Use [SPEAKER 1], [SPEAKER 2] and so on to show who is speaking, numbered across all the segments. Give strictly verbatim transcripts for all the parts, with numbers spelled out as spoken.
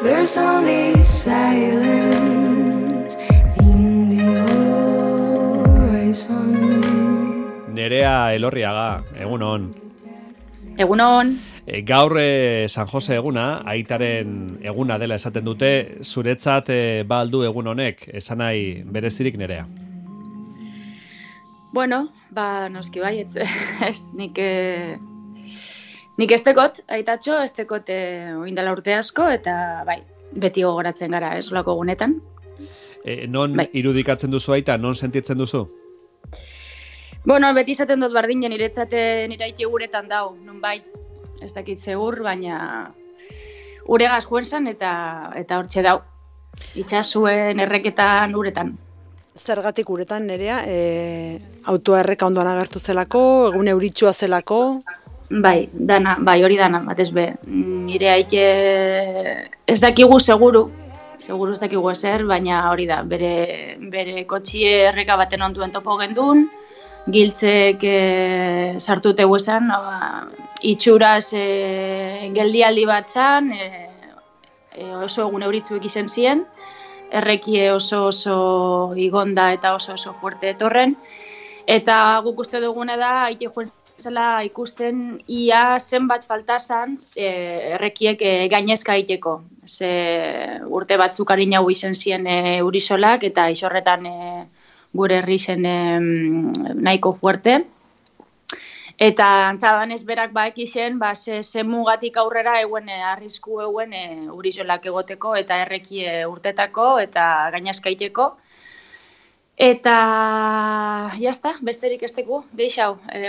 [SPEAKER 1] There's only silence in the horizon.
[SPEAKER 2] Nerea Elorriaga, egunon.
[SPEAKER 3] Egunon.
[SPEAKER 2] E, gaur e, San Jose eguna, aitaren eguna dela esaten dute, zuretzat e, ba aldu egun honek, esan nahi berezirik Nerea?
[SPEAKER 3] Bueno, ba, noski bai, ez, ez nik, e, nik estekot, aitatxo, estekot e, oindala urte asko, eta bai, beti gogoratzen gara, ez, olako egunetan.
[SPEAKER 2] E, non
[SPEAKER 3] bai.
[SPEAKER 2] irudikatzen duzu aita, non sentitzen duzu?
[SPEAKER 3] Bueno, beti izaten dut bardinen, niretzate niraiti guretan dau, non bai, ez dakit segur, baina uregaz juen zan eta, eta hortxe dau. Itxasuen erreketan uretan.
[SPEAKER 4] Zergatik uretan, Nerea, e, autoa erreka ondoan agertu zelako, egun euritsua zelako?
[SPEAKER 3] Bai, dana, bai, hori dana, batez be. Nire aike ez dakigu seguru, seguru ez dakigu ezer, baina hori da, bere, bere kotxie erreka baten onduen topo gendun, giltzek e, sartute huesan, no, itxuraz e, geldialdi bat zan, e, e, oso egun euritzuek izen ziren, errekie oso oso igonda eta oso oso fuerte etorren, eta guk uste dugune da, aite joen zela ikusten ia zenbat faltazan e, errekiek e, gainezka aiteko. Ze urte batzuk harin hau izen ziren e, urisolak, eta isorretan e, gure herri zen e, nahiko fuerte. Eta antzabanez berak baek izen, ba, ze, ze mugatik aurrera eguen e, arrisku eguen e, urisolak egoteko eta errekie urtetako eta gainazkaiteko. Eta jazta, besterik esteko, deixau, e,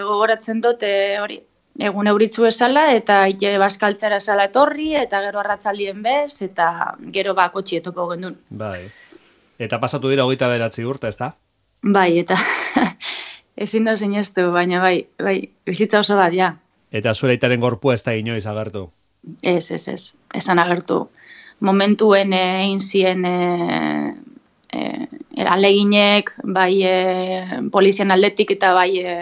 [SPEAKER 3] gogoratzen dut e, hori, egun euritzu esala eta ite baskaltzera esala etorri eta gero arratzaldien bez eta gero ba kotxi etopo gendun.
[SPEAKER 2] Bai. Eta pasatu dira hogeita bederatzi urte, ez da?
[SPEAKER 3] Bai, eta ezin da sinestu, baina bai, bai, bizitza oso bat, ja.
[SPEAKER 2] Eta zure aitaren gorpua ez da inoiz agertu?
[SPEAKER 3] Ez, ez, ez, esan agertu. Momentuen egin zien e, e, aleginek, bai e, polizian aldetik eta bai e,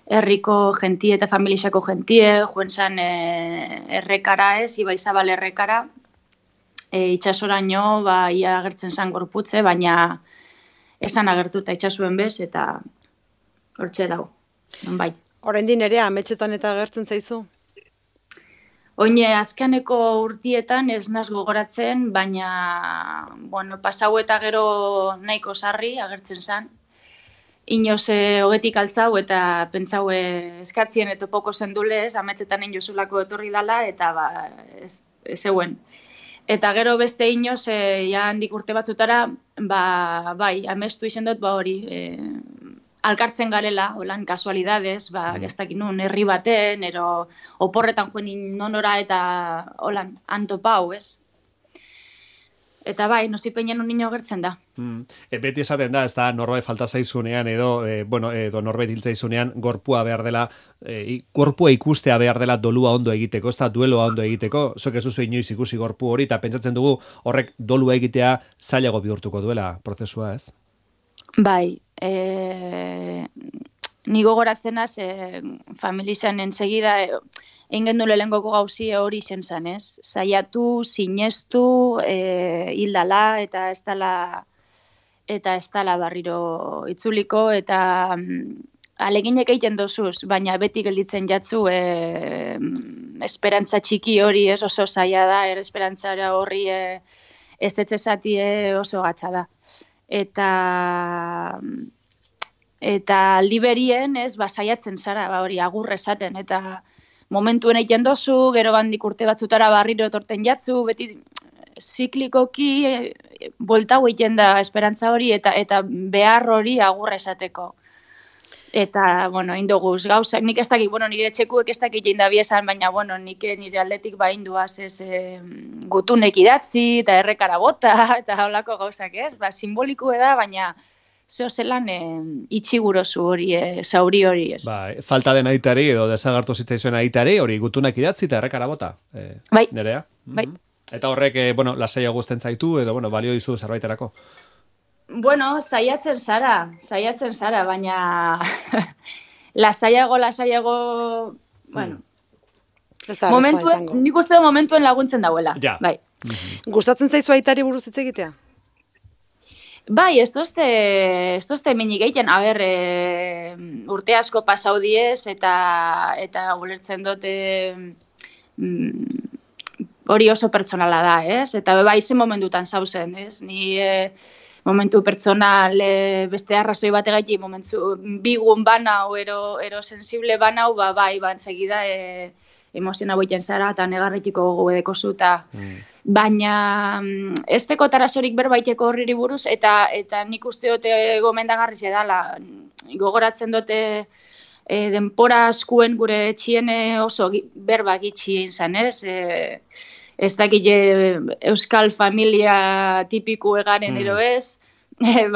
[SPEAKER 3] herriko gentie eta familixako gentie, joen zan e, errekara ez, Ibai Zabal errekara, e, itxasoraino, ba, ia agertzen zan gorputze, baina esan agertu eta itxasuen bez, eta hortxe dago, bai.
[SPEAKER 4] Oraindik Nerea, ametxetan eta agertzen zaizu?
[SPEAKER 3] Oine, azkeneko urtietan ez naz gogoratzen, baina, bueno, pasau eta gero nahiko sarri agertzen zan. Inoz e, hogetik altzau eta pentsau e, eskatzien eta poko zendule ez, ametzetan inozulako etorri dala eta ba, ez, ez euen. Eta gero beste inoz, e, ja handik urte batzutara, ba, bai, amestu izen dut, ba hori, e, alkartzen garela, holan, kasualidades, ba, ez dakit nun, herri baten, ero oporretan joen nonora eta, holan, antopau, ez? Eta bai, nozipeinen un niño gertzen da.
[SPEAKER 2] Mm. E, beti esaten da, ez da, norbait falta zaizunean, edo, e, bueno, edo norbait hiltzaizunean, gorpua behar dela, e, gorpua ikustea behar dela dolua ondo egiteko, ez da dueloa ondo egiteko, zuek ez duzu inoiz ikusi gorpu hori, eta pentsatzen dugu horrek dolua egitea zailago bihurtuko duela prozesua, ez?
[SPEAKER 3] Bai, e, ni gogoratzenaz, e, familizan ensegida, e, egin gendu lehengoko gauzi hori zen zan, ez? Saiatu, sinestu, e, hildala, eta ez dala, eta ez dala barriro itzuliko, eta mm, aleginek egiten dozuz, baina beti gelditzen jatzu, e, esperantza txiki hori ez oso zaila da, er esperantzara horri e, ez etxezati oso gatsa da. Eta eta liberien ez basaiatzen zara, ba hori agur esaten, eta momentuen egiten dozu, gero bandik urte batzutara barriro etorten jatzu, beti ziklikoki e, boltau egiten da esperantza hori eta eta behar hori agur esateko. Eta, bueno, indoguz, gauzak, nik ez dakik, bueno, nire txekuek ez dakik jein da biesan, baina, bueno, nik nire aldetik ba induaz ez e, gutunek idatzi, eta errekara bota, eta holako gauzak ez, ba, simbolikue da, baina zeo zelan e, itxigurozu hori, e, zauri hori ez.
[SPEAKER 2] Ba, falta den aitari, edo desagartu zitzaizuen aitari, hori gutunak idatzi eta errekara bota, e,
[SPEAKER 3] bai.
[SPEAKER 2] Nerea?
[SPEAKER 3] Bai.
[SPEAKER 2] Mm-hmm. Eta horrek, e, bueno, lasaia guzten zaitu, edo, bueno, balio dizu zerbaiterako.
[SPEAKER 3] Bueno, saiatzen zara, saiatzen zara, baina lasaiago, lasaiago, bueno,
[SPEAKER 4] hmm.
[SPEAKER 3] momentuen, nik uste momentuen laguntzen dauela.
[SPEAKER 2] Ja,
[SPEAKER 3] bai.
[SPEAKER 4] Gustatzen zaizu aitari buruz hitz egitea?
[SPEAKER 3] Bai, ez dozte, ez dozte minik egiten, a ber, e, urte asko pasau diez, eta, eta ulertzen dute mm, hori oso pertsonala da, ez? Eta bai, zen momentutan zauzen, ez? Ni e, momentu pertsonal e, beste arrazoi bategatik, momentu bigun banau, ero, ero sensible banau, ba, bai, ba, enseguida e, emoziona boiten zara, eta negarretiko gogo edeko zuta. Mm. Baina ez teko tarasorik berbaiteko horriri buruz, eta eta nik uste dute gomendagarriz edala. Gogoratzen dute e, denpora askuen gure etxien oso berba gitxien zan, ez? E, ez dakile euskal familia tipiku egaren ero ez,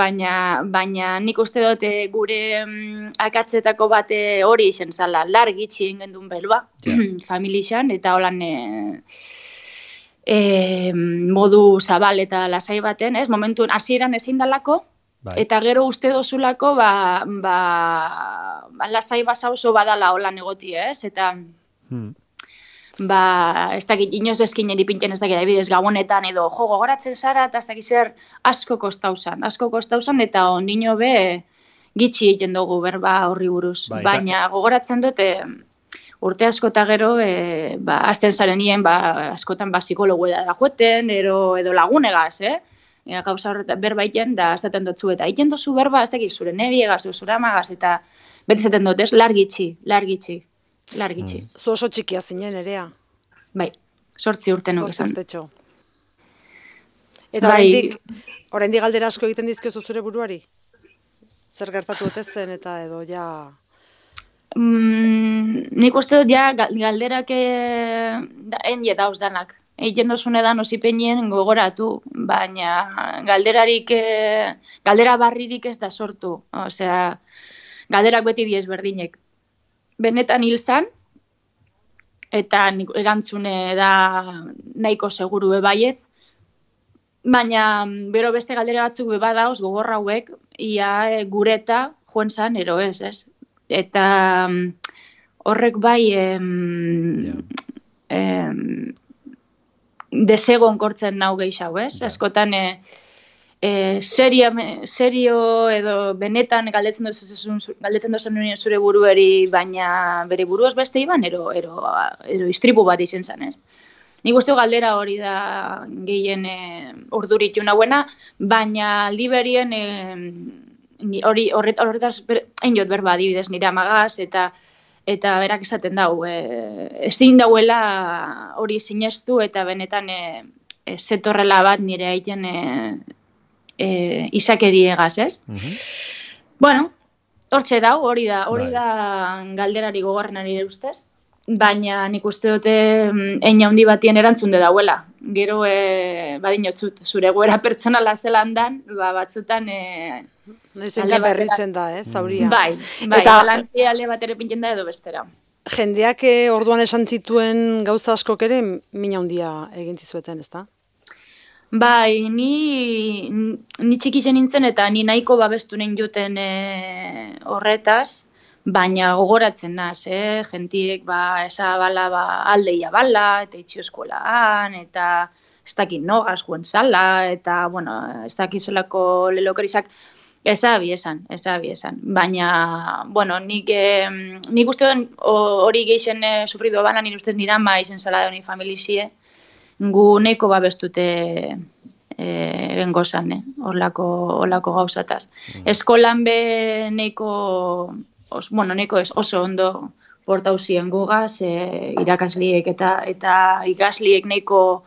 [SPEAKER 3] baina, baina nik uste dute gure mm, akatzetako bate hori izen zala, lar gitxien gendun belba, yeah. familixan, eta holan e, e, modu zabal eta lasai baten, ez? Momentun hasieran ezin dalako, bai. Eta gero uste dozulako, ba, ba, lasai basa oso badala holan egoti, ez? Eta... Hmm. Ba, ez dakit, inoz eskin eripintzen ez dakit, adibidez gabonetan edo jo gogoratzen zara, eta ez dakit zer asko kostauzan, asko kostauzan, eta ondino be gitxi egiten dugu berba horri buruz. Ba, baina gogoratzen dute urte asko eta gero, e, ba, azten zaren nien, ba, askotan ba, psikologu da joeten, edo, edo lagunegaz, eh? E, gauza horretan berba iten, da azaten dutzu, eta iten duzu berba, ez dakit, zure nebiegaz, zure amagaz, eta beti zaten dut, ez, largitxi, largitxi. Largitxi.
[SPEAKER 4] Mm. Zu oso txikia zinen, Nerea.
[SPEAKER 3] Bai, sortzi urte nuk esan.
[SPEAKER 4] Sortzi urtetxo. Eta bai. oraindik, oraindik galdera asko egiten dizkiozu zure buruari? Zer gertatu ote zen eta edo ja...
[SPEAKER 3] Mm, nik uste dut ja galderak enie dauz danak. Egiten dozune da nozipenien gogoratu, baina galderarik, galdera barririk ez da sortu. Osea, galderak beti diez berdinek. Benetan hil zan, eta erantzune da nahiko seguru bebaietz, baina bero beste galdera batzuk beba dauz gogorra hauek, ia gureta joen zan, ero ez, ez? Eta horrek bai em, yeah. em, desegon kortzen nau gehiago, ez? Yeah. Askotan... E, E, serio, serio edo benetan galdetzen dozen galdetzen dozen zure buruari, baina bere buruaz beste iban, ero, ero, ero istripu bat izen zan, ez? Nik uste galdera hori da gehien e, urduritu nahuena, baina aldi berien e, hori horret, horretaz enjot berba adibidez nire amagaz, eta eta berak esaten dau, e, ezin dauela hori sinestu, eta benetan e, e, zetorrela bat nire haiten e, E, izakeri egaz, ez? Uh-huh. Bueno, hortxe dau, hori da, hori da galderari gogorren ari ustez, baina nik uste dute eina handi batien erantzunde dauela. Gero, e, badinotzut, zure goera pertsonala zelan dan, ba, batzutan... E,
[SPEAKER 4] Noizenka berritzen da, ez, zauria.
[SPEAKER 3] Bai, bai, eta alantzi alde bat ere pintzen da edo bestera.
[SPEAKER 4] Jendeak e, orduan esan zituen gauza askok ere mina handia egin zizueten, ez da?
[SPEAKER 3] Bai, ni, ni txikitzen nintzen eta ni nahiko babestu nahin juten e, horretaz, baina gogoratzen naz, eh? Gentiek ba, esa bala ba, aldeia bala, eta itxio eskolaan, eta ez dakit nogaz juen zala, eta, bueno, ez dakit zelako lelokerizak, ezabi esan, ezabi esan. Baina, bueno, nik, eh, nik uste hori geixen eh, sufrido bana, nire ustez nire ama izen zala da honi familizie, gu neiko babestute e, bengozan, eh? Horlako, horlako gauzataz. Mm. Eskolan be neiko, os, bueno, neiko ez oso ondo portauzien gugaz, e, irakasliek eta eta ikasliek neiko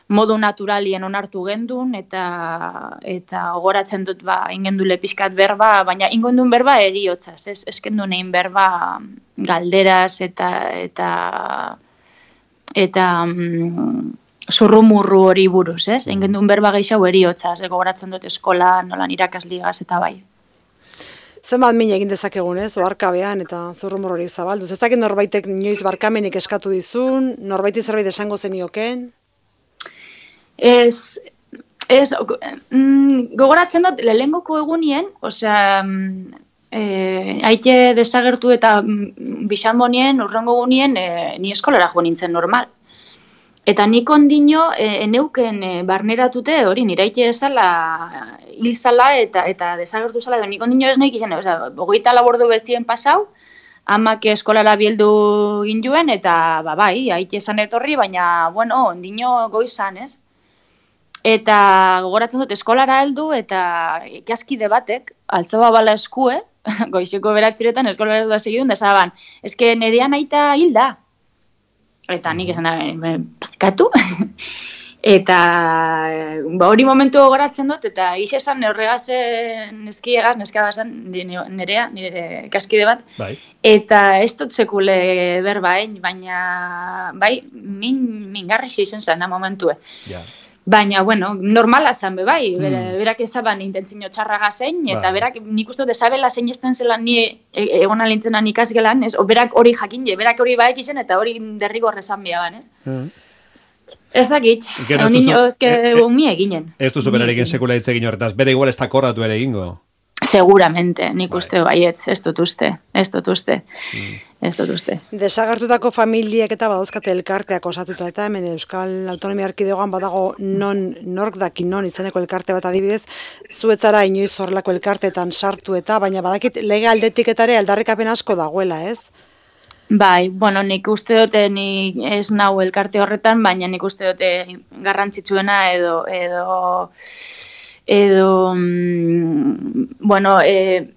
[SPEAKER 3] modu naturalien onartu gendun, eta eta gogoratzen dut ba, ingendule pixkat berba, baina ingendun berba eriotzaz, ez, eskendu nein berba galderaz eta eta eta mm, zurrumurru hori buruz, ez? Egin duen berba gehiago eriotzaz, gogoratzen dut eskola, nolan irakasligaz eta bai.
[SPEAKER 4] Zenbat min egin dezakegun, ez? Oharkabean eta zurrumurru hori zabalduz. Ez dakit norbaitek inoiz barkamenik eskatu dizun, norbaiti zerbait esango zenioken?
[SPEAKER 3] Ez, ez, mm, gogoratzen dut, lehengoko egunien, osea, E, haite desagertu eta bisanbonien, urrengo gunien, e, ni eskolara jo nintzen normal. Eta nik ondino e, eneuken e, barneratute hori niraite esala hil zala eta eta desagertu zala, edo nik ondino ez nahi izan, oza, hogeita labordu bestien pasau, amak eskolara bieldu ginduen, eta ba, bai, haite esan etorri, baina, bueno, ondino goizan, ez? Eta gogoratzen dut eskolara heldu eta ikaskide batek, altzaba bala eskue, goizeko beratziretan eskolara heldu da segidun, da zaban, eske nerean aita hilda. Eta nik esan da, parkatu. Eta ba, hori momentu gogoratzen dut, eta gix esan horregazen neskiegaz, neskagazan nerea, nire ikaskide bat.
[SPEAKER 2] Bai.
[SPEAKER 3] Eta ez dut sekule berbain, baina bai, min, mingarri izen zen momentue.
[SPEAKER 2] Ja.
[SPEAKER 3] Baina, bueno, normala zan be bai, hmm. berak ezaban intentzio txarraga zein, eta bai. Berak nik uste dut ezabela zein esten zelan ni egon alintzenan ikasgelan, ez? O berak hori jakin je, berak hori baek izen, eta hori derrigor esan biaban, ez? Hmm. Ez dakit, ondino, ez que e, e, mi eginen.
[SPEAKER 2] Ez duzu berarekin sekula hitz egin horretaz, bere igual ez da korratu ere egingo?
[SPEAKER 3] Seguramente, nik bai. Uste baietz, ez dut uste, ez dut uste, mm. ez dut uste.
[SPEAKER 4] Desagertutako familiek eta badauzkate elkarteak osatuta, eta hemen Euskal Autonomia Erkidegoan badago non, nork daki non izeneko elkarte bat adibidez, zuetzara inoiz horrelako elkarteetan sartu eta, baina badakit lege aldetik eta ere aldarrikapen asko dagoela, ez?
[SPEAKER 3] Bai, bueno, nik uste dute ni ez nau elkarte horretan, baina nik uste dute garrantzitsuena edo edo edo mm, bueno, e,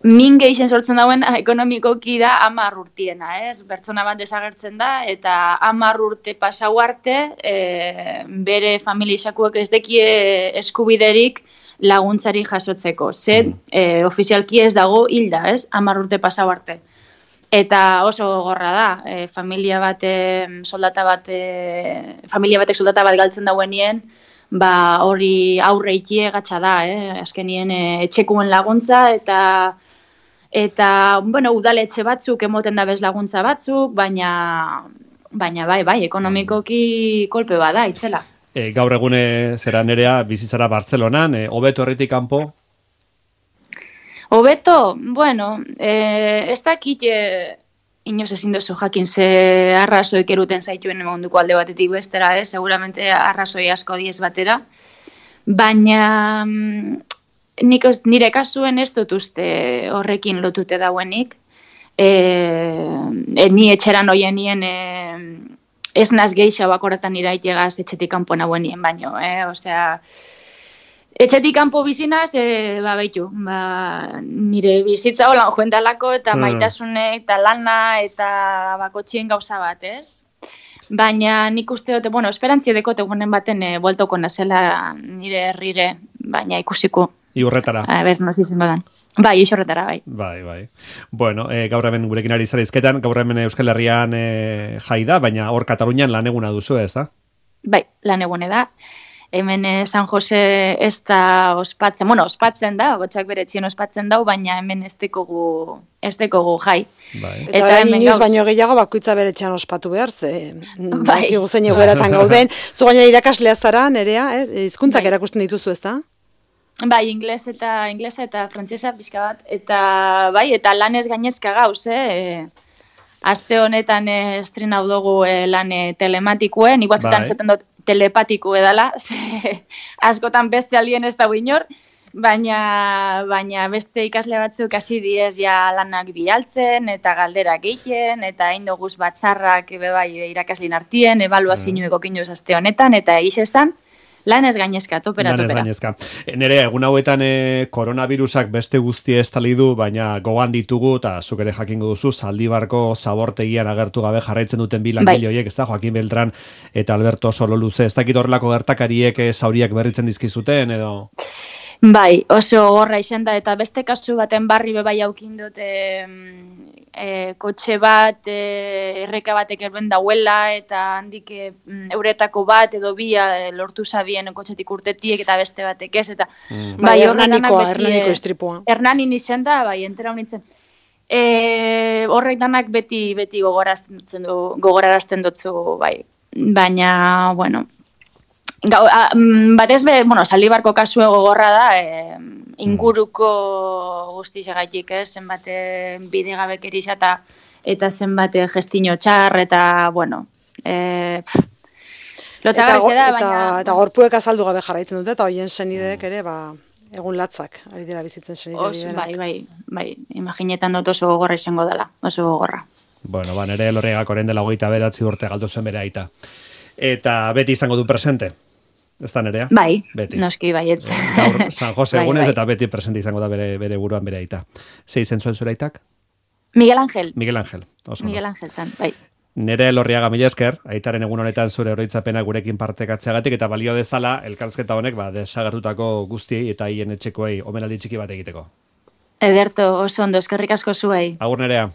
[SPEAKER 3] min gehien sortzen dauen ekonomikoki da hamar urtiena, ez? Pertsona bat desagertzen da eta hamar urte pasau arte e, bere familiakoek ez dekie eskubiderik laguntzari jasotzeko. Ze mm. e, ofizialki ez dago hilda, ez? hamar urte pasau arte. Eta oso gogorra da, e, familia bat, soldata bat, e, familia batek soldata bat galtzen dauenien, ba hori aurre ikie gatsa da, eh? Azkenien e, etxekuen laguntza eta eta bueno, udaletxe batzuk emoten da bez laguntza batzuk, baina baina bai, bai, ekonomikoki kolpe bada itzela.
[SPEAKER 2] E, gaur egune zera nerea bizitzara Bartzelonan, e, hobeto herritik kanpo?
[SPEAKER 3] Hobeto, bueno, eh, ez dakit eh, inoz ezin duzu jakin ze arrazoik eruten zaituen munduko alde batetik bestera, eh? Seguramente arrazoi asko diez batera, baina mm, nik nire kasuen ez dut uste horrekin lotute dauenik, e, e, ni etxeran hoienien e, ez naz geixa bakoratan iraitegaz etxetik kanpo nagoenien baino, eh? Osea, etxetik kanpo bizinaz, e, ba, baitu, ba, nire bizitza holan joen dalako, eta maitasune, eta lana, eta bakotxien gauza bat, ez? Baina nik uste dute, bueno, esperantzi dekote gunen baten e, bueltoko nazela nire herrire, baina ikusiko.
[SPEAKER 2] Iurretara.
[SPEAKER 3] A ber, noz izango dan. Bai, isorretara, bai.
[SPEAKER 2] Bai, bai. Bueno, e, gaur hemen gurekin ari zara izketan, gaur hemen Euskal Herrian e, jai da, baina hor Katalunian lan eguna duzu, ez da?
[SPEAKER 3] Bai, lan egune da. Hemen San Jose ez da ospatzen, bueno, ospatzen da, gotxak bere txien ospatzen dau, baina hemen ez dekogu, ez dekogu jai. Bai.
[SPEAKER 4] Eta, eta hemen inoz gauz... baino gehiago bakoitza bere txean ospatu behar, ze bai. Bakigu zein egoeratan gauden. Zu gainera irakaslea zara, nerea, eh? Hizkuntzak bai. Erakusten dituzu ez da?
[SPEAKER 3] Bai, ingles eta inglesa eta frantsesa pixka bat, eta bai, eta lanez gainezka gauz, eh? Aste honetan eh, estrenau dugu eh, lan eh, telematikuen, nik batzutan esaten dut telepatiku edala, askotan beste aldien ez da inor, baina, baina beste ikasle batzuk hasi diez ja lanak bialtzen, eta galderak egiten, eta hain doguz batzarrak bai, irakaslin artien, ebaluazioeko mm. kinuz aste honetan, eta egiz esan, lan ez gainezka, topera,
[SPEAKER 2] lan ez
[SPEAKER 3] topera.
[SPEAKER 2] Gainezka. Nere, egun hauetan e, koronavirusak beste guztie estali du, baina gogan ditugu, eta zuk ere jakingo duzu, Zaldibarko zabortegian agertu gabe jarraitzen duten bi langile horiek, ez da, Joaquin Beltran eta Alberto Sololuze. Ez dakit horrelako gertakariek e, zauriak berritzen dizkizuten, edo...
[SPEAKER 3] Bai, oso gorra izan da, eta beste kasu baten barri bebai aukin dut, e, e, kotxe bat, e, erreka batek erbuen dauela, eta handik e, euretako bat edo bi e, lortu zabien kotxetik urtetiek eta beste batek ez, eta
[SPEAKER 4] mm. bai, hernanikoa, hernaniko istripua.
[SPEAKER 3] Hernanin izan da, bai, entera honitzen. E, horrek danak beti, beti gogorarazten du, gogorarazten dutzu, bai, baina, bueno... Gau, a, batez be, bueno, Zaldibarko kasue gogorra da, e, inguruko guztizegaitik, ez, zenbate bidegabek erisa eta eta zenbate gestino txar, eta, bueno, e, pff, Lotxagarri
[SPEAKER 4] go-
[SPEAKER 3] zera,
[SPEAKER 4] eta,
[SPEAKER 3] baina...
[SPEAKER 4] eta gorpuek azaldu gabe jarraitzen dute, eta hoien senideek ere, ba, egun latzak, ari dira bizitzen senide
[SPEAKER 3] Os,
[SPEAKER 4] hori denak.
[SPEAKER 3] bai, bai, bai, imaginetan dut oso gogorra izango dela, oso gogorra.
[SPEAKER 2] Bueno, ba, nere Elorriagak orain dela hogeita beratzi urte galdu zen bere aita. Eta beti izango du presente. Ez da nerea?
[SPEAKER 3] Bai,
[SPEAKER 2] Beti.
[SPEAKER 3] noski baietz.
[SPEAKER 2] Gaur San Jose
[SPEAKER 3] Bai,
[SPEAKER 2] egunez
[SPEAKER 3] bai.
[SPEAKER 2] eta beti presente izango da bere, bere buruan bere aita. Zei izen zuen zure aitak?
[SPEAKER 3] Miguel Ángel,
[SPEAKER 2] Miguel Ángel. Oso ondo.
[SPEAKER 3] Miguel Ángel zan, bai.
[SPEAKER 2] Nere Elorriaga mila esker, aitaren egun honetan zure oroitzapena gurekin partekatzeagatik eta balio dezala elkarrizketa honek ba, desagertutako guztiei eta hien etxekoei omenaldi txiki bat egiteko.
[SPEAKER 3] Ederto, oso ondo, eskerrik asko zuei.
[SPEAKER 2] Agur nerea.